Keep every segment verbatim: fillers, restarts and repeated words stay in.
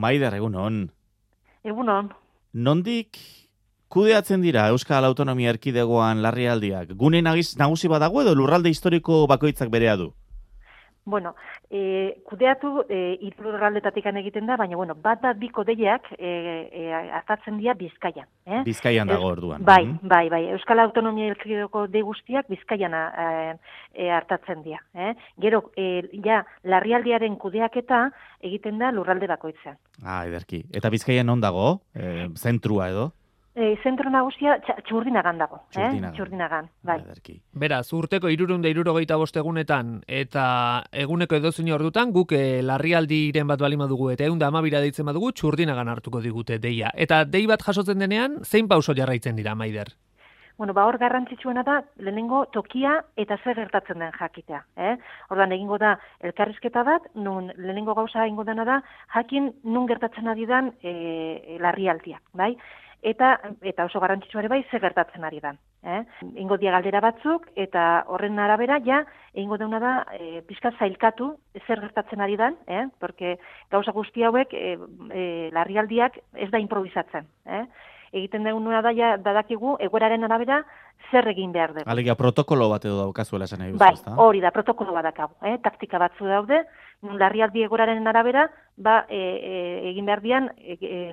Maider, egunon. Egunon. Nondik kudeatzen dira Euskal Autonomia Erkidegoan larrialdiak? Gune nagusi badago edo lurralde historiko bakoitzak berea du? Bueno, e, kudeatu e, hiru lurraldetatik egiten da, baina bueno, bat bat biko deiak e, e, hartatzen dira Bizkaian. Eh? Bizkaian dago orduan. Bai, bai, bai. Euskal Autonomia Erkidegoko de guztiak Bizkaian e, e, hartatzen dira. Eh? Gero, e, ja, larrialdiaren kudeaketa egiten da lurralde bakoitzean. Ah, ederki. Eta Bizkaian non dago? E, zentrua edo? E, zentro nagusia Txurdinagan dago. Txurdinagan. Eh? Txurdinagan, bai. Ederki. Beraz, urteko hirurehun eta hirurogeita bost egunetan eta eguneko edozein ordutan guk e, larrialdiren bat balima dugu eta ehun eta hamabira deitzen badugu Txurdinagan hartuko digute deia. Eta dei bat jasotzen denean, zein pauso jarraitzen dira, Maider? Bueno, ba hor garrantzitsuena da lehenengo tokia eta zer gertatzen den jakitea, eh? Orduan egingo da elkarrizketa bat, nun lehenengo gauza egingo dena da jakin nun gertatzen ari dan e, larrialdia, bai? Eta, eta oso garrantzitsua ere bai, ze gertatzen ari dan. Eh? Ingo dia galdera batzuk, eta horren arabera, ja, egingo dauna da, e, pixka zailkatu, zer gertatzen ari dan, eh? Porque gauza guzti hauek, e, e, larrialdiak ez da improvisatzen. Eh? Egiten dauna da, ja, dadakigu, egoeraren arabera, zer egin behar dugu. Alegia, protokolo bat edo daukazuela esan nahi duzu, bai, ezta? Hori da, protokolo bat dakagu. Eh? Taktika batzu daude, larrialdi egoeraren arabera, ba, e, e, egin behar dian, e, e,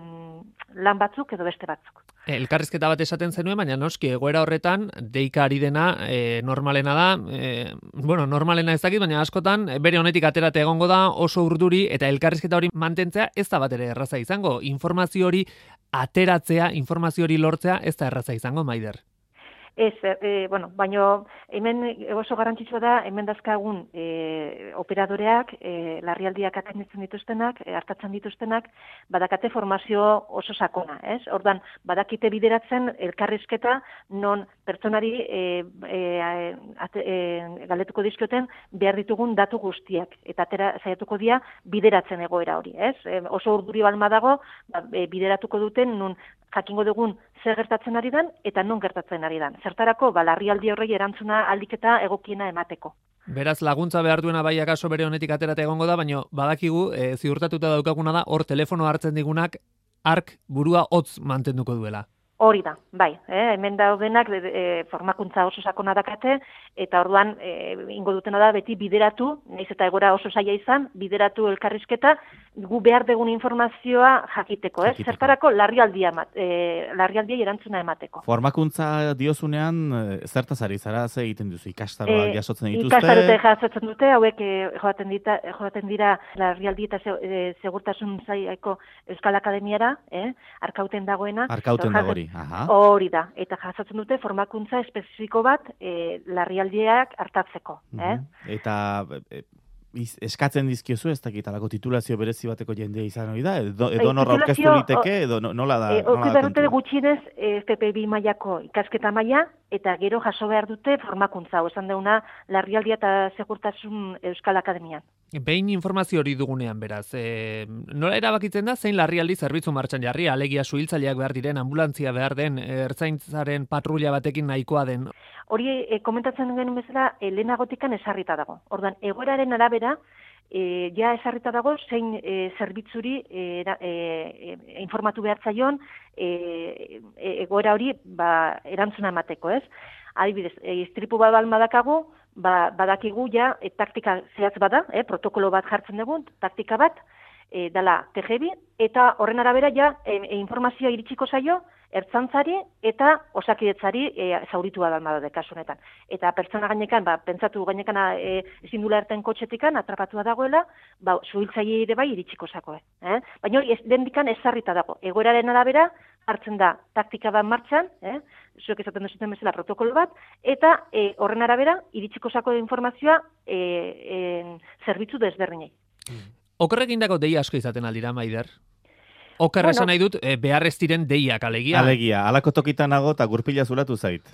lan batzuk edo beste batzuk. Elkarrizketa bat esaten zenuen, baina noski egoera horretan deika ari dena e, normalena da, e, bueno, normalena ez dakit, baina askotan bere honetik aterate egongo da oso urduri eta elkarrizketa hori mantentzea ez da bat ere erraza izango. Informazio hori ateratzea, informazio hori lortzea ez da erraza izango, Maider. Ez, e, bueno, baina hemen oso garrantzitsua da, hemen dazkagun e, operadoreak, e, larrialdiak atenditzen dituztenak, e, hartatzen dituztenak, badakate formazio oso sakona, ez? Ordan badakite bideratzen elkarrizketa non pertsonari e, e, ate, e, galdetuko dizkioten behar ditugun datu guztiak, eta atera saiatuko dira bideratzen egoera hori, ez? E, oso urduri balma dago, ba, e, bideratuko duten nun jakingo dugun zer gertatzen ari dan eta non gertatzen ari dan. Zertarako, ba, larrialdi horrei erantzuna aldiketa egokiena emateko. Beraz, laguntza behar duena bai akaso bere honetik aterate egongo da, baina badakigu, e, ziurtatuta daukaguna da, hor telefono hartzen digunak, ark burua hotz mantenduko duela. Hori da, bai, eh? Hemen daudenak e, formakuntza oso sakona dakate, eta orduan e, ingo dutena da beti bideratu, nahiz eta egora oso zaila izan, bideratu elkarrizketa, gu behar dugun informazioa jakiteko, eh? Zertarako larrialdia, e, larrialdia erantzuna emateko. Formakuntza diozunean, zertaz ari zara, ze egiten duzu, ikastaroak e, jasotzen dituzte? Ikastarote jasotzen dute, hauek e, joaten, dita, joaten dira larrialdi eta se, e, segurtasun zailako Euskal Akademiara, eh? Arkauten dagoena. Arkauten dago hori. Aha. Hori da, eta jasotzen dute formakuntza espezifiko bat e, larrialdiak hartatzeko. Eh? Eta e, iz, eskatzen dizkiozu ez dakit alako titulazio berezi bateko jendea izan hori da? Edo, edo norra aurkeztu liteke, edo nola da? E, Oki behar dute gutxinez F P bi mailako ikasketa maila, eta gero jaso behar dute formakuntza, esan deuna larrialdia eta segurtasun Euskal Akademian. Behin informazio hori dugunean, beraz, e, nola erabakitzen da zein larrialdi zerbitzu martxan jarri, alegia suhiltzaileak behar diren, ambulantzia behar den, ertzaintzaren patrulla batekin nahikoa den? Hori e, komentatzen genuen bezala, e, lehenagotikan esarrita dago. Ordan egoeraren arabera, e, ja esarrita dago zein e, zerbitzuri e, e, e, informatu behar zaion e, e, egoera hori ba, erantzuna emateko, ez? Adibidez, e, istripu bat balmadakagu, ba, badakigu ja e, taktika zehatz bada, e, protokolo bat jartzen dugu, taktika bat, e, dala T G bi, eta horren arabera ja e, e, informazioa iritsiko zaio, ertzantzari eta osakidetzari e, zauritua dalma da kasunetan. Eta pertsona gainekan, ba, pentsatu gainekan e, ezin dula erten kotxetikan, atrapatua dagoela, ba, zuhiltzaile ere bai iritsiko zakoe. Eh? Baina hori ez, dendikan ezarrita dago. Egoeraren arabera, hartzen da taktika bat martxan, eh? Zuek esaten duzuten bezala protokolo bat, eta e, horren arabera, iritsiko zako informazioa e, e, zerbitzu desberdinei. Okerrekin dago deia asko izaten aldira, Maider? Oker esan nahi dut, e, behar ez diren deiak, alegia? Alegia, alako tokitan nago eta gurpila zulatu zait.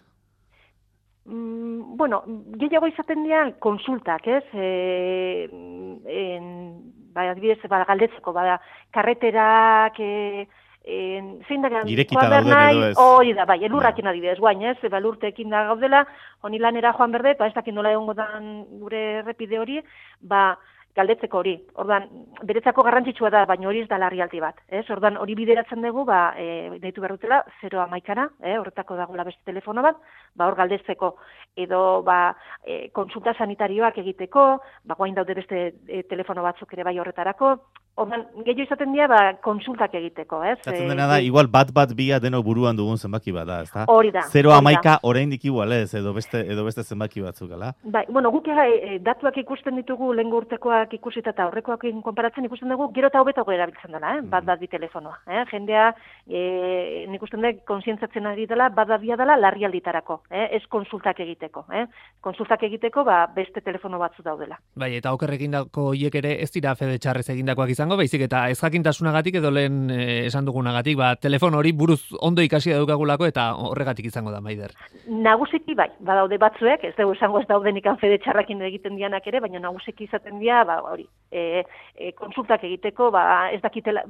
Mm, bueno, gehiago izaten dian konsultak, ez? E, en, ba, adibidez, ba, galdetzeko, ba, karreterak... E, En, zein da, irekita daude edo ez. Hori da, bai, elurrakin adibidez, guain, ez, eba lurtekin da gaudela, honi lanera joan berde, ba, ez dakin nola egongo dan gure errepide hori, ba, galdetzeko hori. Ordan beretzako garrantzitsua da, baina hori ez da larrialdi bat, ez? Ordan hori bideratzen dugu, ba, e, deitu berrutela, zero hamaikara, eh, horretako dagoela beste telefono bat, ba, hor galdetzeko, edo, ba, e, konsulta sanitarioak egiteko, ba, guain daude beste e, telefono batzuk ere bai horretarako, ordan gehiago izaten dira, ba, konsultak egiteko, ez? Zaten dena da, igual bat bat bia deno buruan dugun zenbaki bat da, ez da? Hori da. Zero hamaika oraindik igual ez, edo beste, edo beste zenbaki batzuk, ala? Bai, bueno, guk e, datuak ikusten ditugu, lehen urtekoak ikusita eta horrekoak konparatzen ikusten dugu, gero eta hobeto erabiltzen dela, eh? bat bat bi telefonoa. Eh? Jendea, e, nik usten dut, konsientzatzen ari dela, bat bat bia dela larrialditarako, eh? ez konsultak egiteko. Eh? Konsultak egiteko, ba, beste telefono batzu daudela. Bai, eta oker egindako hiek ere ez dira fede txarrez egindakoak izango, baizik eta ez jakintasunagatik edo lehen e, esan dugunagatik, ba, telefono hori buruz ondo ikasi daukagulako eta horregatik izango da, Maider. Nagusiki bai, badaude batzuek, ez dugu esango ez daudenik fede txarrakin egiten dianak ere, baina nagusiki izaten dira, ba, hori, e, e, konsultak egiteko, ba, ez dakitela,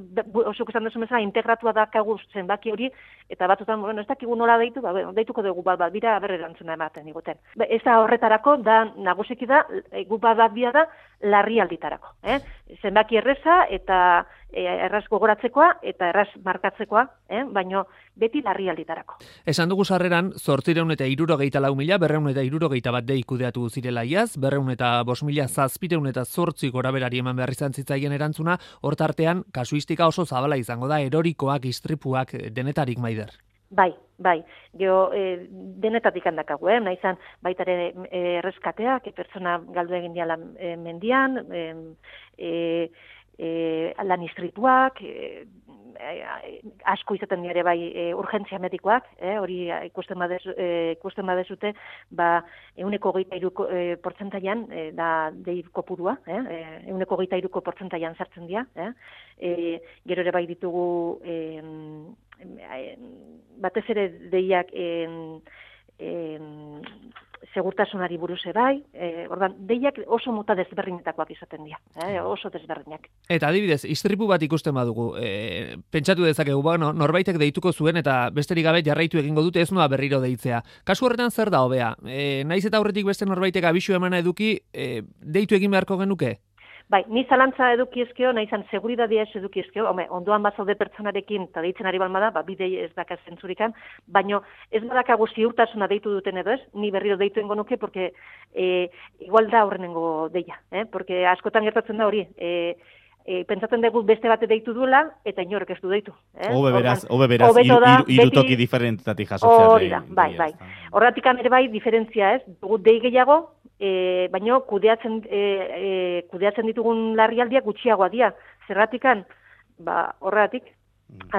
osuk esan duzu bezala, integratua dakagu zenbaki hori, eta batzutan, bueno, ez dakigu nola deitu, ba, bueno, deituko dugu bat bat bira, berre erantzuna ematen diguten. Ba, ez da horretarako, da, nagusiki da, e, gu bat bat bia da, larrialditarako. Eh? Zenbaki erreza eta e, erraz gogoratzekoa eta erraz markatzekoa, eh? baina beti larrialditarako. Esan dugu sarreran, zortzireun eta irurogeita lau mila, berreun eta irurogeita bat dei kudeatu zirela iaz, berreun eta bos mila zazpireun eta zortzi goraberari eman behar izan zitzaien erantzuna, hortartean kasuistika oso zabala izango da, erorikoak, istripuak, denetarik, Maider. Bai, bai, geho e, denetatik handakagu, eh? Naizan baitare e, erreskateak, e, pertsona galdu egin diala e, mendian, e, e, lan istrituak, e, e, asko izaten dira bai e, urgentzia medikoak, eh? hori ikusten badezu, e, ikusten badezute, ba, euneko geita iruko e, portzentaian e, da dei kopurua, eh? euneko geita iruko portzentaian sartzen dira, eh? e, gero ere bai ditugu e, batez ere deiak en, en, segurtasunari buruz bai, e, ordan, deiak oso mota desberdinetakoak izaten dira, eh, oso desberdinak. Eta adibidez, istripu bat ikusten badugu, e, pentsatu dezakegu, bueno, norbaitek deituko zuen eta besterik gabe jarraitu egingo dute ez noa berriro deitzea. Kasu horretan zer da hobea? E, naiz eta aurretik beste norbaitek abisu emana eduki, e, deitu egin beharko genuke? Bai, ni zalantza edukiezkeo, nahi izan seguridadia ez edukiezkeo, home, ondoan bazaude pertsonarekin, eta deitzen ari balma da, ba, bidei ez daka zentzurikan, baino ez badakagu ziurtasuna deitu duten edo ez, ni berriro deitu engo nuke, porque e, igual da horrenengo deia, eh? Porque askotan gertatzen da hori, e, e, pentsatzen dugu beste bate deitu duela, eta inorek ez du deitu. Eh? Obe beraz, obe beraz, iru, iru, iru toki diferentetatik jasotzea. Hori da, bai, bai. Horretik ere bai, diferentzia ez, dugu dei gehiago, E, baino kudeatzen e, e, kudeatzen ditugun larrialdiak gutxiagoa dira. Zerratikan, ba, horregatik,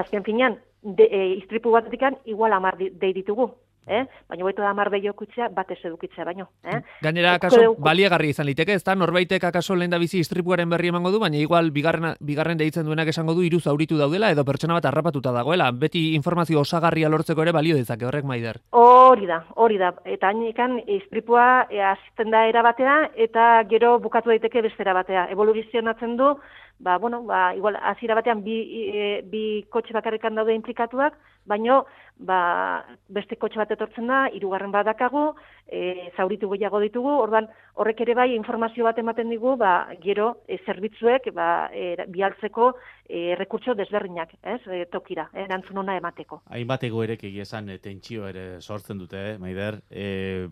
azken finean, de, e, istripu batetikan igual hamar dei ditugu. Eh? Baina hobeto da hamar behiokutzea, bat ez edukitzea baino. Eh? Gainera, akaso, baliagarri izan liteke, ez da, norbaitek akaso lehen da bizi istripuaren berri emango du, baina igual bigarren, bigarren deitzen duenak esango du hiru zauritu daudela edo pertsona bat harrapatuta dagoela. Beti informazio osagarria lortzeko ere balio dezake horrek, Maider. Hori da, hori da. Eta hainekan istripua e, azten da era batera eta gero bukatu daiteke bestera batea. Evoluzionatzen du, ba, bueno, ba, igual, hasiera batean bi, e, bi kotxe bakarrikan daude implikatuak, baino, ba, beste kotxe bat etortzen da, hirugarren bat dakagu, e, zauritu gehiago ditugu, ordan horrek ere bai informazio bat ematen digu, ba, gero e, zerbitzuek ba, e, bialtzeko e, rekurtso desberdinak, ez, e, tokira, e, erantzun ona emateko. Hainbat egoerek egia esan e, tentsio ere sortzen dute, eh, Maider, e,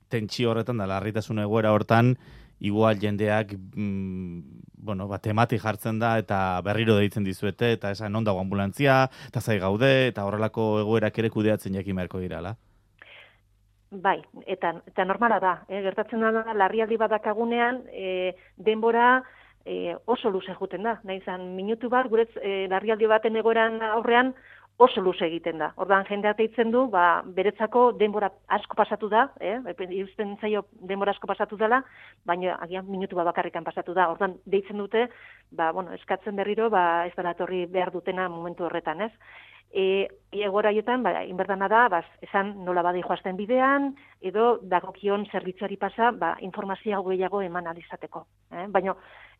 tentsio horretan da, larritasun egoera hortan, igual jendeak mm, bueno, ba, temati jartzen da eta berriro deitzen dizuete eta esan non dago ambulantzia, eta zai gaude, eta horrelako egoerak ere kudeatzen jakin beharko dirala. Bai, eta, eta normala da, eh? Gertatzen da larrialdi bat dakagunean, e, denbora e, oso luze juten da. Nahi izan, minutu bat, guretz e, larrialdi baten egoeran aurrean, oso luze egiten da. Ordan jendea deitzen du, ba, beretzako denbora asko pasatu da, eh? Iruzten zaio denbora asko pasatu dela, baina agian minutu bat bakarrikan pasatu da. Ordan deitzen dute, ba, bueno, eskatzen berriro, ba, ez dela etorri behar dutena momentu horretan, ez? e, egora jotan, ba, inberdana da, ba, esan nola badi joazten bidean, edo dagokion zerbitzuari pasa, ba, informazio gehiago eman alizateko. Eh? Baina,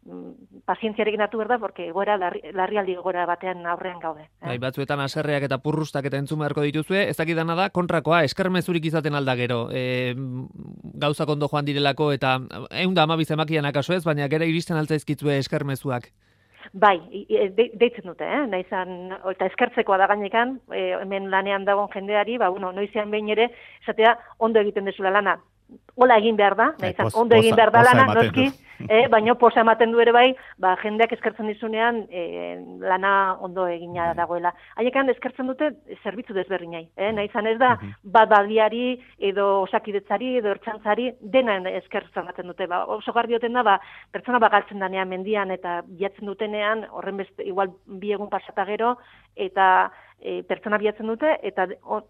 mm, pazientziarekin hartu behar da, porque egoera, larri, larrialdi egoera batean aurrean gaude. Eh? Bai, batzuetan haserreak eta purrustak eta entzun beharko dituzue, ez dakidana da, kontrakoa, eskermezurik izaten alda gero, e, gauzak ondo joan direlako, eta ehun da hamabi zenbakian akaso ez, baina gero iristen altzaizkitzue eskermezuak. Bai, de, deitzen dute, eh? Naizan, eta eskertzekoa da gainekan, e, hemen lanean dagoen jendeari, ba, bueno, noizean behin ere, esatea, ondo egiten dezula lana. Hola egin behar da, naizan, ondo egin behar da lana, noski, eh, baina posa ematen du ere bai, ba, jendeak eskertzen dizunean eh, lana ondo egina dagoela. Haiekan eskertzen dute zerbitzu desberdinai, eh? Naizan ez da, bat badiari, edo osakidetzari, edo ertxantzari, dena eskertzen ematen dute. Ba, oso garbioten da, ba, pertsona bagaltzen danean mendian, eta bilatzen dutenean, horren beste, igual bi egun pasata gero, eta e, pertsona bilatzen dute, eta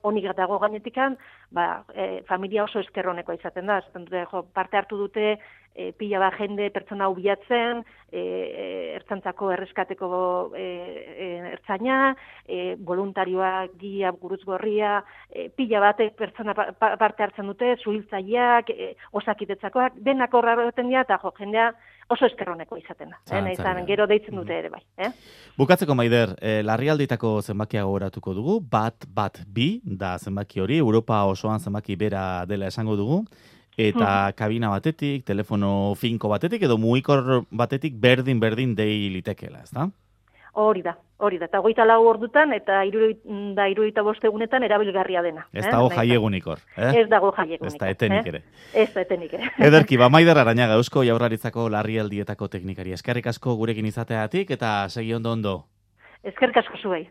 honik dago gainetikan, ba, e, familia oso eskerroneko izaten da. Zaten dute, jo, parte hartu dute, e, pila bat jende pertsona hau bilatzen, e, e, ertzantzako erreskateko e, e, ertzaina, e, voluntarioak, gia, gurutz gorria, e, pila batek pertsona pa, pa, parte hartzen dute, zuhiltzaileak, e, osakitetzakoak, denak horra egiten dira, eta jo, jendea oso eskerroneko izaten da. Eh? Naizan, gero deitzen dute ere bai. Eh? Bukatzeko, Maider, eh, larrialditako zenbakia gogoratuko dugu, bat, bat, bi, da zenbaki hori, Europa osoan zenbaki bera dela esango dugu, eta kabina batetik, telefono finko batetik, edo mugikor batetik berdin-berdin dei litekeela, ez da? Hori da, hori da. Eta hogeita lau ordutan eta irurogeita irurogeita bost egunetan erabilgarria dena. Ez dago eh? jaiegunik hor. Eh? Ez dago jaiegunik. Ez da etenik eh? ere. Ez da etenik ere. Ederki, ba, Maider Arañaga, Eusko Jaurlaritzako larrialdietako teknikari. Eskerrik asko gurekin izateatik eta segi ondo ondo. Eskerrik asko zuei.